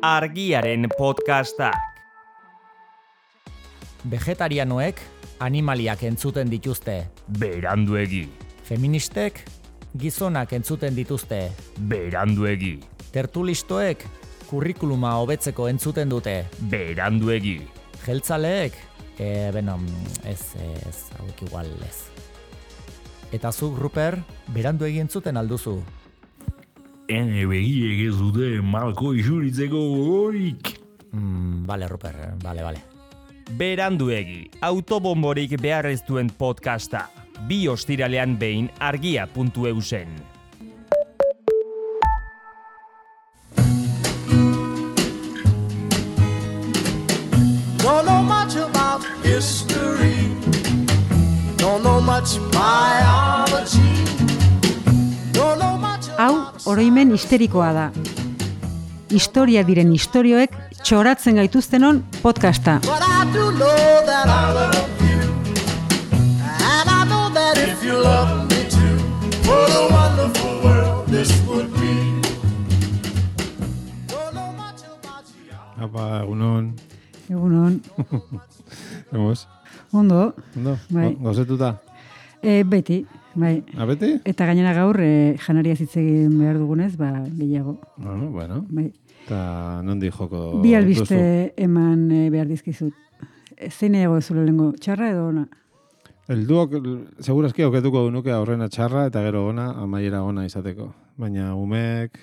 Argiaren podcastak. Vegetarianoek animaliak entzuten dituzte. Beranduegi. Feministek gizonak entzuten dituzte. Beranduegi. Tertulistoek kurrikuluma hobetzeko entzuten dute. Beranduegi. Jeltzaleek, hauek igual ez. Eta zuk, Ruper, beranduegi entzuten alduzu. Ene begiek ez dute malko isuritzeko gogorik. Bale, Ruper, bale. Beranduegi, autobomborik behar ez duen podcasta. 2 ostiralean behin argia.eusen. Don't know much about history. Don't know much biology. Don't know much Hau, oroimen histerikoa da. Historia diren istorioek txoratzen gaituztenon podcasta. But I do know that I love you. And I know that if you love me too, what a wonderful world this would be. Don't know much about you. Apa, egunon. Egunon, Hemos? ondo, Ondo? Bai. Gozetuta? Beti, bai. Abeti? Eta gainera gaur, janaria hitz egin behar dugunez, gehiago. Bueno. Bai. Eta nondi joko Bi albiste eman behar dizkizut. Zein nahiago ez lehengo, txarra edo ona? Helduok, segurazki auketuko nuke aurrena txarra eta gero ona, amaiera ona izateko. Baina umeek,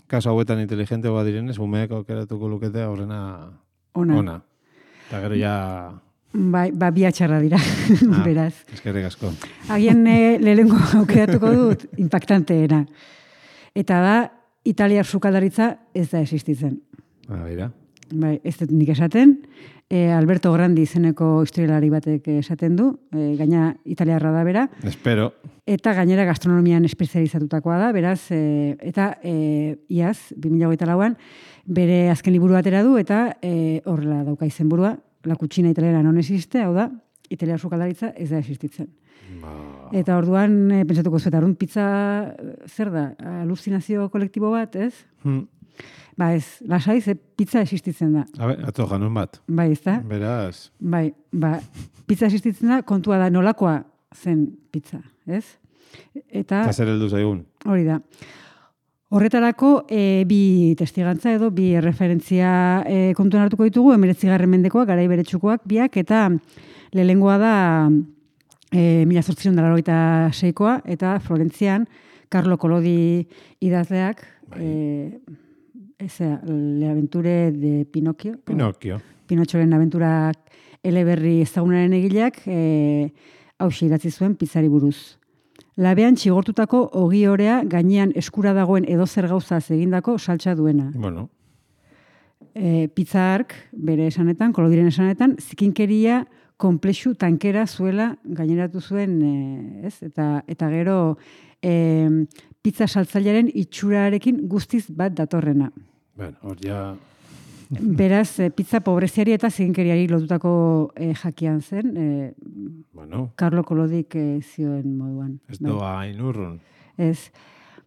kaso hauetan inteligente direnez, umeek aukeratuko lukete aurrena ona. Eta gero ja... Bai, bi txarra dira, beraz. Eskerrik asko. Agian lehengo aukeratuko dut, impactanteena. Eta da, italiar sukaldaritza ez da existitzen. Baina. Bai, ez dut nik esaten. Alberto Grandi izeneko historialari batek esaten du, gaina italiarra da bera. Espero. Eta gainera gastronomian espezializatutakoa da, beraz, eta iaz, 2008an, bere azken liburu atera du, eta horrela dauka izenburua, La cucina italiana non existe, hau da, italiar sukaldaritza ez da existitzen. Eta orduan, pentsatuko zuetarun, pizza zer da? Aluzinazio kolektibo bat, ez? Ez, lasaiz, pizza existitzen da. Atzo janun bat. Bai, ez da? Beraz. Bai, pizza existitzen da, kontua da nolakoa zen pizza, ez? Eta zer heldu zaigun. Hori da. Horretarako, bi testigantza edo, bi referentzia kontuan hartuko ditugu, 19. mendekoak, garai beretsukoak biak, eta lehengoa da 1886koa, eta Florentzian, Carlo Collodi idazleak, Le aventure de Pinocchio. Pinotxoren abenturak eleberri ezagunaren egileak, hauxe idatzi zuen pizzari buruz. Labean txigortutako ogi orea gainean eskura dagoen edozer gauzaz egindako saltsa duena. Bueno. Pizza hark, bere esanetan, Kolodiren esanetan, zikinkeria konplexu tankera zuela gaineratu zuen, ez? Eta gero pizza saltzailearen itxurarekin guztiz bat datorrena. Bueno, hor ja... Beraz, pizza pobreziari eta zikinkeriari lotutako jakian zen. Carlo Kolodik zioen moduan. Ez doa hain urrun. Ez.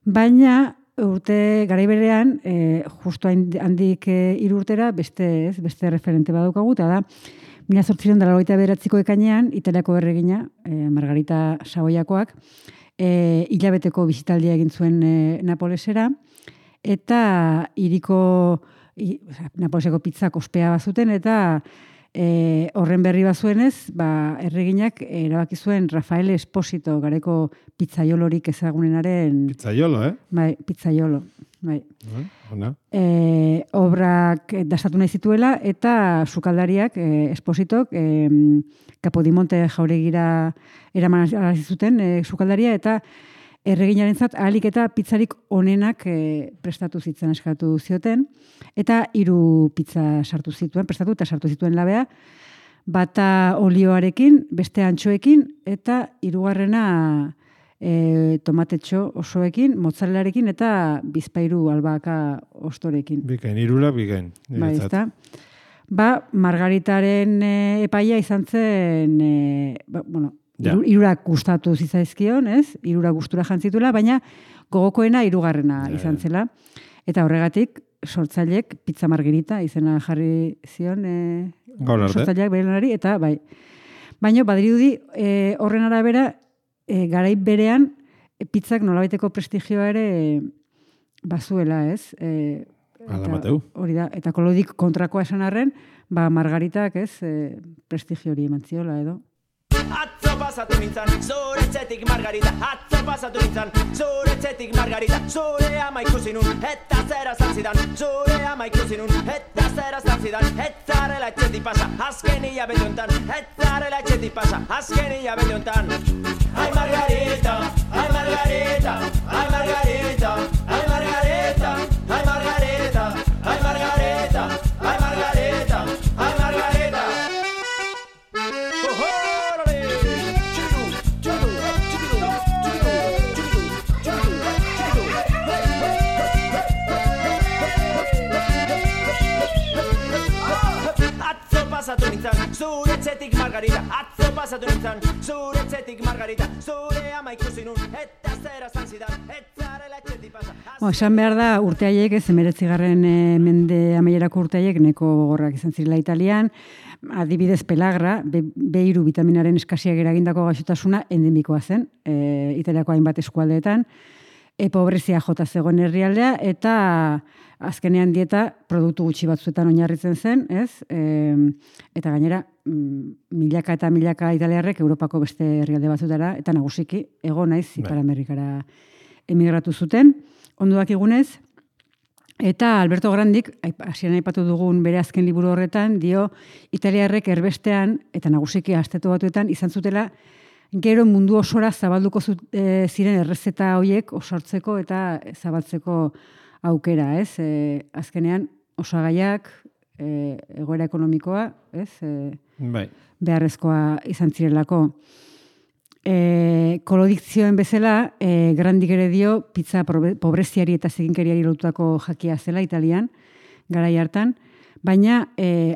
Baina, garai berean, justu handik 3 urtera, beste referente badaukagu, eta da, 1889ko ekainean, Italiako erregina, Margarita Saboiakoak, hilabeteko bisitaldia egin zuen Napolesera, eta hiriko Napoleseko pizzak ospea bazuten, eta horren berri bazuenez, erreginak erabaki zuen Rafael Esposito, gareko pizzaiolorik ezagunenaren... Pizzaiolo, Bai, pizzaiolo. Bai. Ona. Obrak dastatu nahi zituela, eta sukaldariak, Espositok, Kapodimonte jauregira eraman zuten sukaldaria, eta erreginarentzat ahalik eta pizzarik onenak prestatu zitzen eskatu zioten, eta 3 pizza sartu zituen, prestatu eta sartu zituen labea, bata olioarekin, beste antxoekin, eta 3. Tomatetxo osoekin, mozzarelarekin, eta bizpairu albaka ostorekin. Bikain, 3 bikain. Bai, ez da. Margaritaren epaia izan zen, Irurak gustatu zitzaizkion, ez? Irurak gustura jantzituela, baina gogokoena 3. izan zela. Eta horregatik, sortzailek pizza margarita izena jarri zion Gaur arte. sortzaileak bere lanari, eta bai. Baina badirudi horren arabera garai berean pizzak nolabaiteko prestigioa ere bazuela, ez? Hala mateu. Hori da, eta kolodik kontrakoa esan arren, margaritak, ez, prestigio hori eman ziola edo. Atzo pasatu nintzen, zure etxetik margarita. Atzo pasatu nintzen, zure etxetik margarita. Zure ama ikusi nun, eta zera zantzidan. Zure ama ikusi nun, eta zera zantzidan. Etzarela etxetik pasa, azken hilabete hontan. Etzarela etxetik pasa, azken hilabete hontan. Ai margarita, ai margarita, ai margarita, ai margarita, ai margarita, ai margarita, ai margarita, ai margarita. Pasatu nintzen, zure etxetik margarita. Atzo pasatu nintzen, zure etxetik margarita. Zure ama ikusi nun, eta zera zantzidan. Etzarela etxetik pasa. Esan behar da urte haiek, ez 19. Mende amaierako urte haiek neko gogorrak izan zirela Italian, adibidez pelagra, B3 vitaminaren eskasiak eragindako gaixotasuna endemikoa zen, Italiako hainbat eskualdeetan, pobrezia jota zegoen herrialdea, eta azkenean dieta produktu gutxi batzuetan oinarritzen zen, ez? Eta gainera, milaka eta milaka italiarrek Europako beste herrialde batzutara, eta nagusiki, ego naiz, Ipar Amerikara emigratu zuten, ondo dakigunez, eta Alberto Grandik, hasieran aipatu dugun bere azken liburu horretan, dio italiarrek erbestean, eta nagusiki Estatu Batuetan, izan zutela, gero mundu osora zabalduko ziren errezeta horiek osortzeko eta zabaltzeko aukera, ez? Azkenean osagaiak, egoera ekonomikoa, ez? Bai. Beharrezkoa izan zirelako. Kolodikzioen bezala, Grandik ere dio pizza pobreziari eta ziginkeriari lotutako jakia zela Italian, garai hartan, baina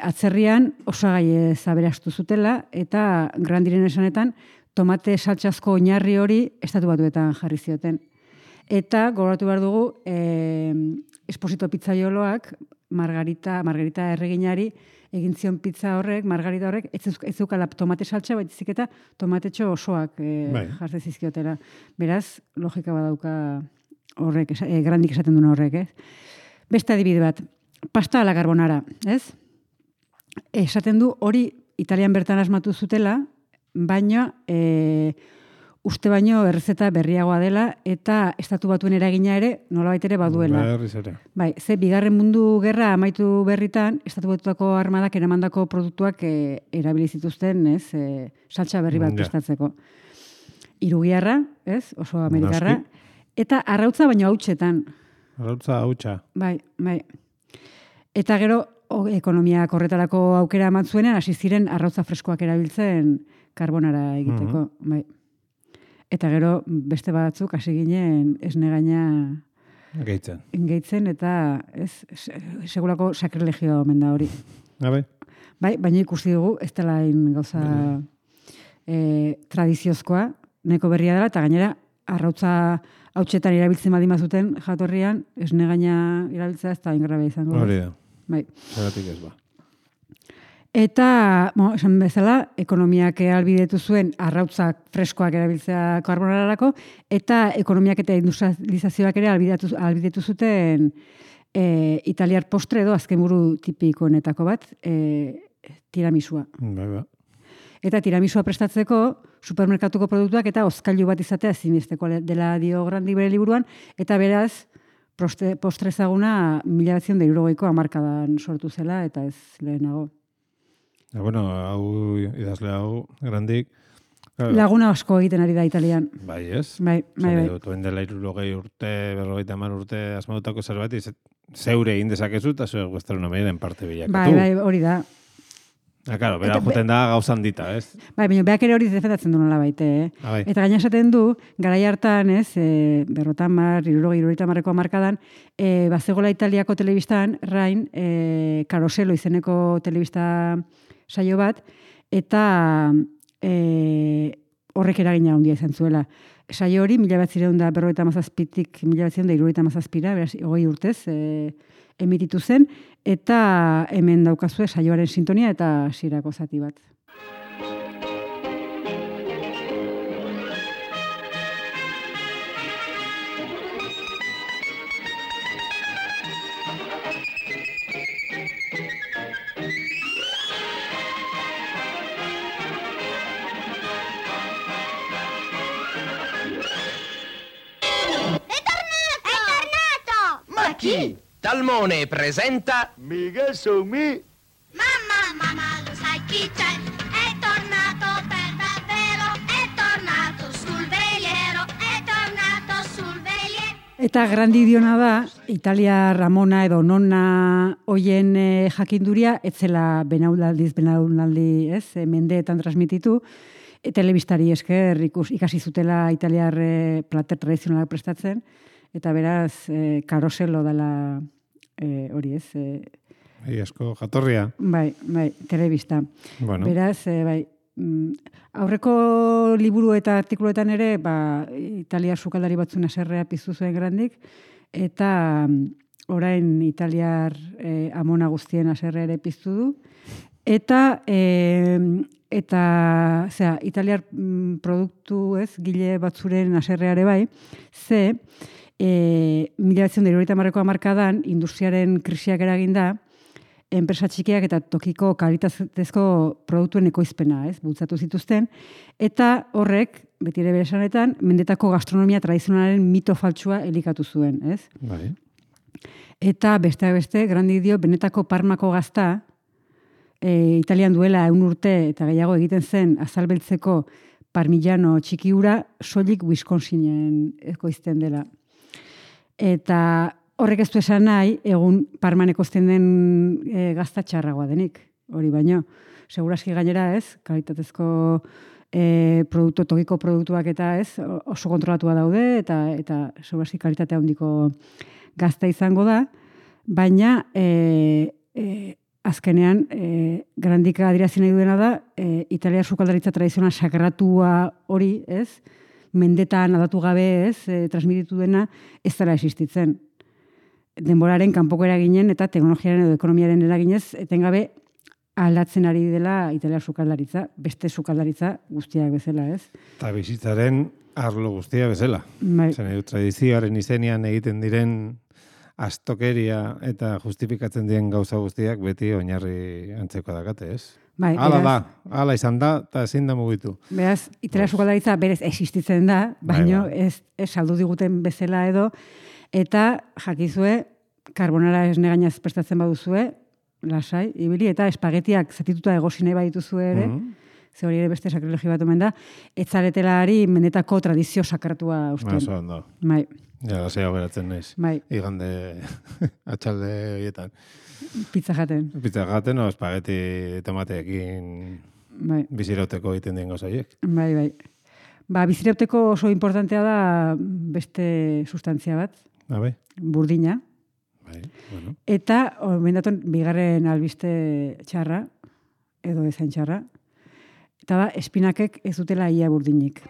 atzerrian osagai zaberastu zutela, eta Grandiren esanetan tomate saltxazko oinarri hori Estatu Batuetan jarri zioten. Eta gogoratu behar dugu, Esposito pizzaioloak margarita erreginari egin zion pizza horrek, margarita horrek, ez zukala tomate saltxa, baizik eta tomatetxo osoak jartzen zizkiotela. Beraz, logika badauka horrek, Grandik esaten duen horrek, Beste adibide bat, pasta a la carbonara, ez? Esaten du hori Italian bertan asmatu zutela, baina uste baino errezeta berriagoa dela eta Estatu Batuen eragina ere nolabait ere baduela. Bai, ze bigarren mundu gerra amaitu berritan Estatu Batuetako armadak eramandako produktuak erabili zituzten, ez? Saltxa berri bat prestatzeko. Hirugiarra, ez? Oso amerikarra. Eta arrautza baino hautsetan. Arrautza hautsa. Bai. Eta gero ekonomia korretarako aukera eman zuenean hasi ziren arrautza freskoak erabiltzen karbonara egiteko, bai. Eta gero beste batzuk hasi ginen esne gaina gehitzen eta segurako sakrilegio omen da hori. Bai, baina ikusi dugu ez dela gauza tradiziozkoa, neko berria dela, eta gainera arrautza hautsetan erabiltzen badima zuten jatorrian, esne gaina erabiltzea ez da ingrabe izango. Hori da. Bai. Zeratik ez ba. Eta, esan bezala, ekonomiak albidetu zuen arrautzak freskoak erabiltzea karbonararako, eta ekonomiak eta industrializazioak ere albidetu zuten italiar postre edo azkenburu tipikoenetako bat, tiramisua. Bai. Eta tiramisua prestatzeko supermerkatuko produktuak eta hozkailu bat izatea ezinbesteko dela dio Grandi bere liburuan, eta beraz, postre ezaguna 1960ko hamarkadan sortu zela, eta ez lehenago. Bueno, hau idazle hau, Grandik. Laguna asko egiten ari da Italian. Bai, ez? Bai. Toen dela 60 urte, 50 urte asmatutako zerbait, zeure egin dezakezu, eta zuek gastronomiaren parte bilakatu. Bai, hori da. Claro, bera joten da gauzan dita, ez? Bai, baina beak ere hori defendatzen du nola baite, Bai. Eta gaina esaten du, garai hartan, ez, 50-60ko hamarkadan, bazegola Italiako telebistan, Rain, Karoselo izeneko telebista saio bat, eta horrek eragina handia izan zuela. Saio hori 1957tik 1977, beraz 20 urtez emititu zen, eta hemen daukazue saioaren sintonia eta hasierako zati bat. Chi? Talmone presenta Mica so me. Mamma, lo sai chi c'è? È tornato per davvero, è tornato sul veliero, è tornato sul veliero. Eta grandidiona da, Italia Ramona edo nonna hoien jakinduria, etzela benaunaldi, ez, mendeetan transmititu, telebistari esker ikasi zutela italiar plater tradizionalak prestatzen, eta beraz, karoselo dela hori ez. Asko jatorria. Bai, telebista. Bueno. Beraz, aurreko liburu eta artikuluetan ere, italiar sukaldari batzun haserrea piztu zuen grandik, eta orain italiar amona guztien haserrea ere piztu du, eta italiar produktu ez, gile batzuren haserreare bai, ze 1970ko hamarkadan industriaren krisiak eraginda, enpresa txikiak eta tokiko kalitatezko produktuen ekoizpena, ez, bultzatu zituzten, eta horrek, beti ere bere esanetan, mendetako gastronomia tradizionalaren mito faltsua elikatu zuen, ez? Bai. Eta besteak beste, grandik dio, benetako Parmako gazta, Italian duela 100 urte eta gehiago egiten zen azalbeltzeko parmigiano txiki hura soilik Wisconsinen ekoizten dela. Eta horrek ez du esan nahi, egun Parman ekoizten den gazta txarragoa denik, hori baino. Segurazki gainera ez, kalitatezko tokiko produktuak eta ez, oso kontrolatua daude, eta segurazki kalitate handiko gazta izango da, baina azkenean, grandik adierazi nahi duena da, italiar sukaldaritza tradizional sakratua hori, ez, mendetan adatu gabe, ez, transmititu dena, ez dela existitzen. Denboraren kanpoko eraginen eta teknologiaren edo ekonomiaren eraginez, etengabe aldatzen ari dela italiar sukaldaritza, beste sukaldaritza guztiak bezala, ez? Eta bizitzaren arlo guztia bezala. Bai. Tradizioaren izenean egiten diren astokeria eta justifikatzen diren gauza guztiak beti oinarri antzeko dakate, ez? Bai, hala izan da, eta ezin da mugitu. Beraz, italiar sukaldaritza berez existitzen da, baino ez saldu diguten bezala edo, eta jakizue, karbonara esne gainaz prestatzen baduzue, lasai, ibili, eta espagetiak zatituta egosine badituzue ere, ze hori ere beste sakrilegi bat omen da, etzaretelari mendetako tradizio sakratua usten. Oso ondo. Bai. Ja, lasea beratzen naiz. Bai. Igande atxalde horietan. Pizza jaten. Pizza jaten, o espageti tomateekin bizirauteko egiten den gozaiek. Bai. Bizirauteko oso importantea da beste sustantzia bat. Bai. Burdina. Bai, bueno. Eta, mendaton, bigarren albiste txarra, edo ezain txarra, eta da, espinakek ez dutela ia burdinik.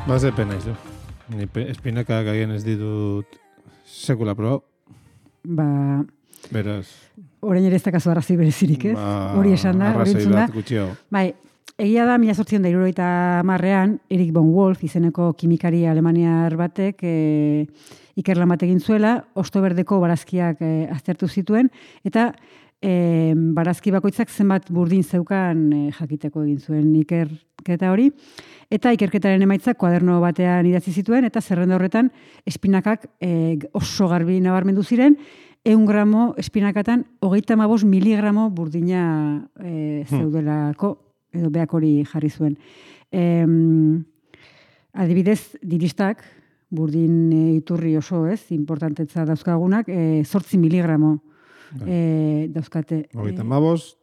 Bazepen naiz, du. Ni espinakak agian ez ditut sekula probau. Beraz. Orain ere ez dakazu arrazoi berezirik, ez? Hori esan da, hori entzun da. Bai, egia da, 1870an, Erich von Wolf izeneko kimikari alemaniar batek ikerlan bat egin zuela, ostoberdeko barazkiak aztertu zituen, eta barazki bakoitzak zenbat burdin zeukan jakiteko egin zuen ikerketa hori, eta ikerketaren emaitzak kuaderno batean idatzi zituen, eta zerrenda horretan espinakak oso garbi nabarmendu ziren, 100 gramo espinakatan 35 miligramo burdina zeudelako edo beak hori jarri zuen. Adibidez, diristak, burdin iturri oso, ez, importantetza dauzkagunak, 8 miligramo dauzkate. 35,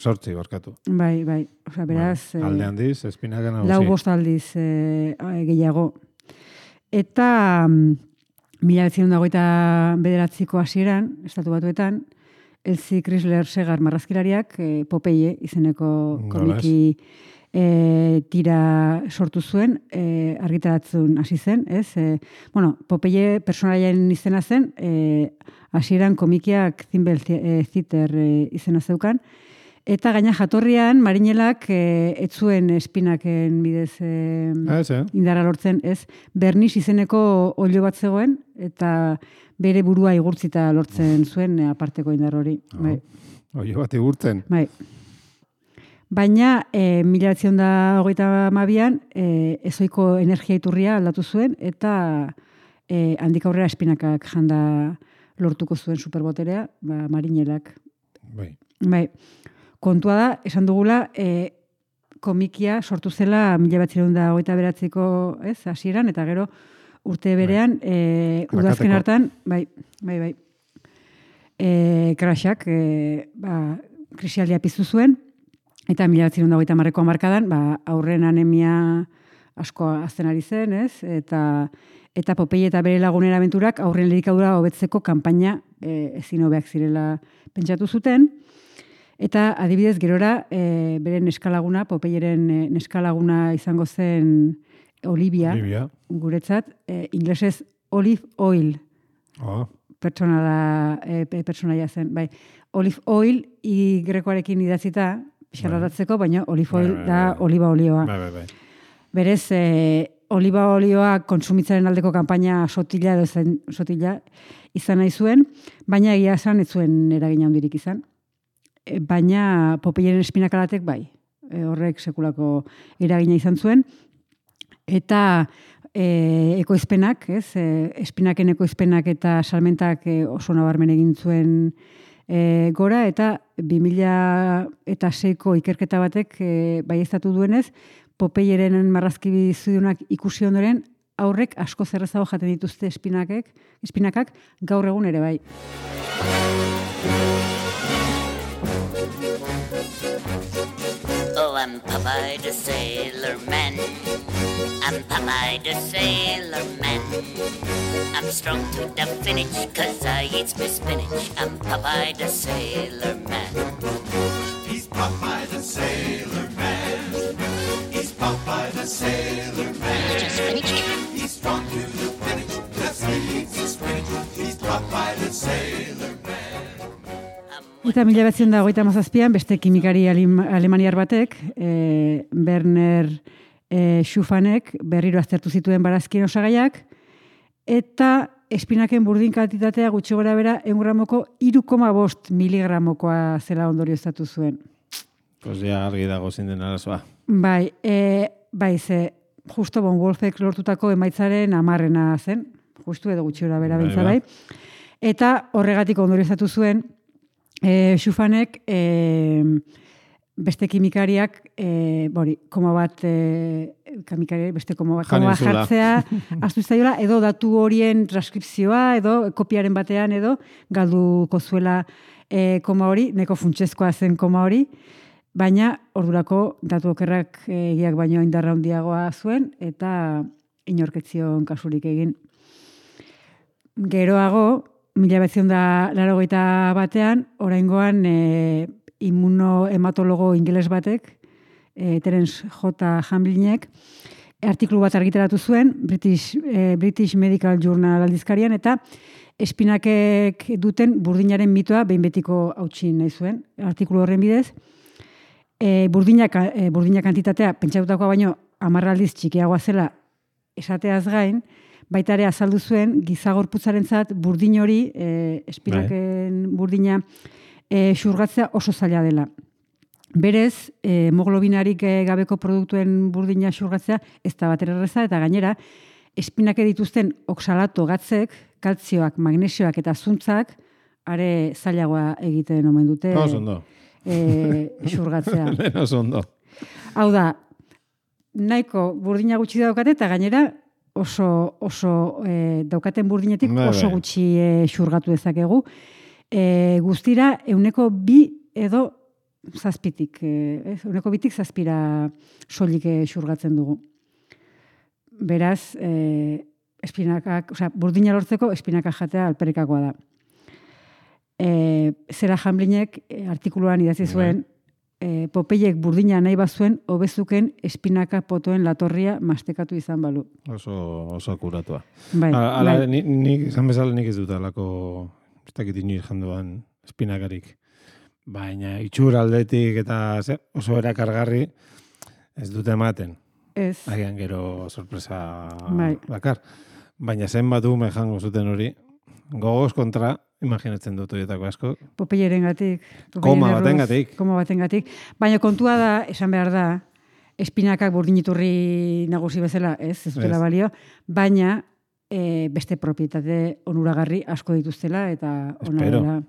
8 barkatu. Bai. Osea, beraz... alde handiz, espinaken hau 4 aldiz gehiago. Eta 1929ko hasieran, Estatu Batuetan, Elsie Chrysler Segar marrazkilariak Popeye izeneko komiki tira sortu zuen, argitaratzen hasi zen, ez? Popeye personaien izena zen, hasieran komikiak Thimble Theater izena zeukan, eta gaina jatorrian Marinelak ez zuen espinaken bidez indarra lortzen, ez? Berniz izeneko olio bat zegoen, eta bere burua igurtzita lortzen zuen aparteko indar hori. Olio bat igurtzen. Bai. Baina, 1932an ezoiko energia iturria aldatu zuen, eta handik aurrera espinakak janda lortuko zuen superboterea, Marinelak. Bai. Kontua da, esan dugula, komikia sortu zela 1929ko hasieran, eta gero urte berean, udazken hartan, bai. Crashak, krisialdia piztu zuen, eta 1930ko hamarkadan, aurren anemia asko azten ari zen, ez? Eta Popeye eta bere lagunen abenturak aurren elikadura hobetzeko kanpaina ezin hobeak zirela pentsatu zuten. Eta adibidez gerora bere neskalaguna, Popeyeren neskalaguna izango zen Olivia. Guretzat, inglesez olive oil. Pertsonaia zen. Bai, olive oil grekoarekin idatzita, pixarratatzeko, baina olive oil da oliba olioa. Bai. Berez, oliba olioa kontsumitzaren aldeko kanpaina sotila izan nahi zuen, baina egia esan ez zuen eragina handirik izan. Baina Popeyeren espinakalatek bai, horrek sekulako eragina izan zuen, eta ekoizpenak, espinaken ekoizpenak eta salmentak oso nabarmen egin zuen gora, eta 2006ko ikerketa batek baieztatu duenez, Popeyeren marrazki bizidunak ikusi ondoren, aurrek asko zerrezago jaten dituzte espinakak gaur egun ere bai. Oh, I'm Popeye the Sailor Man. I'm Popeye the Sailor Man. I'm strong to the finish, 'cause I eat my spinach. I'm Popeye the Sailor Man. He's Popeye the Sailor Man. He's Popeye the Sailor Man. He's strong to the finish, 'cause he eats his spinach. He's Popeye the Sailor Man. Eta 1937an beste kimikari alemaniar batek, Werner Schufanek, berriro aztertu zituen barazkien osagaiak, eta espinaken burdin kantitatea gutxi gora bera 1 gramoko 3,5 miligramokoa zela ondorioztatu zuen. Pues ja argi dago zein den arazoa. Bai, ze justo Von Wolfek lortutako emaitzaren 10 zen, justu edo gutxi gora bera bentsa bai. Eta horregatik ondorioztatu zuen Schufanek beste kimikariak beste koma bat jartzea astu zaiola, edo datu horien transkripzioa, edo kopiaren batean, edo galduko zuela koma hori, neko funtsezkoa zen koma hori, baina ordurako datu okerrak egiak baino indarra handiagoa zuen, eta inorketzion kasurik egin. Geroago, 1981 oraingoan immunohematologo ingeles batek, Terence J. Hamlinek, artikulu bat argitaratu zuen, British Medical Journal aldizkarian, eta espinakek duten burdinaren mitoa behin betiko hautsi nahi zuen. Artikulu horren bidez, burdina kantitatea pentsatutakoa baino 10 aldiz txikiagoa zela esateaz gain, baita ere azaldu zuen gizagorputzarentzat burdin hori, espinaken burdina xurgatzea oso zaila dela. Berez, hemoglobinarik gabeko produktuen burdina xurgatzea ez da batera erraza, eta gainera, espinake dituzten oksalato gatzek, kaltzioak, magnesioak eta zuntzak are zailagoa egiten omen dute xurgatzea. Lehen oso ondo. Hau da, nahiko burdina gutxi daukate eta gainera oso daukaten burdinetik oso gutxi xurgatu dezakegu. Guztira, 2 edo 7tik, 2tik 7 soilik xurgatzen dugu. Beraz, espinakak, burdina lortzeko espinakak jatea alperikakoa da. Zera Hamlinek artikuluan idatzi zuen, Popeyek burdina nahi bazuen, hobezuken espinaka potoen latorria mastekatu izan balu. Oso akuratua. Bai. Nik, izan bezala nik ez dut alako, ez dakit inoiz jandoan espinakarik. Baina itxur aldetik eta oso erakargarri ez dute ematen. Ez. Agian gero sorpresa bakar. Baina zenbat ume jango zuten hori, gogoz kontra, imaginatzen dut horietako asko. Popeyeren gatik. Koma baten gatik. Baina kontua da, esan behar da, espinakak burdiniturri nagusi bezala, ez dutela balio, baina beste propietate onuragarri asko dituztela eta onarela.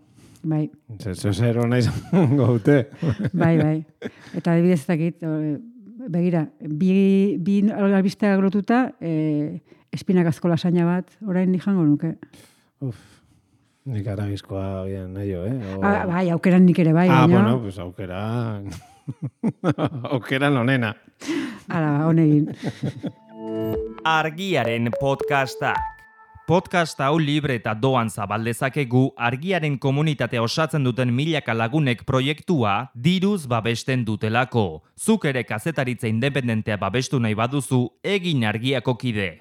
Bai. Zer hona izan gaute. Bai. Eta adibidez dakit, begira, bi albistea grotuta, espinakazko lasaina bat, orain jango nuke. Nik aragizkoa bien nahi, Bai, aukeran nik ere bai. Bueno, pues aukeran... aukeran onena. Ara, honegin. Argiaren podcastak. Podcast hau libre eta doan zabaldezakegu argiaren komunitatea osatzen duten milaka lagunek proiektua diruz babesten dutelako. Zuk ere kazetaritza independentea babestu nahi baduzu, egin Argiako kide.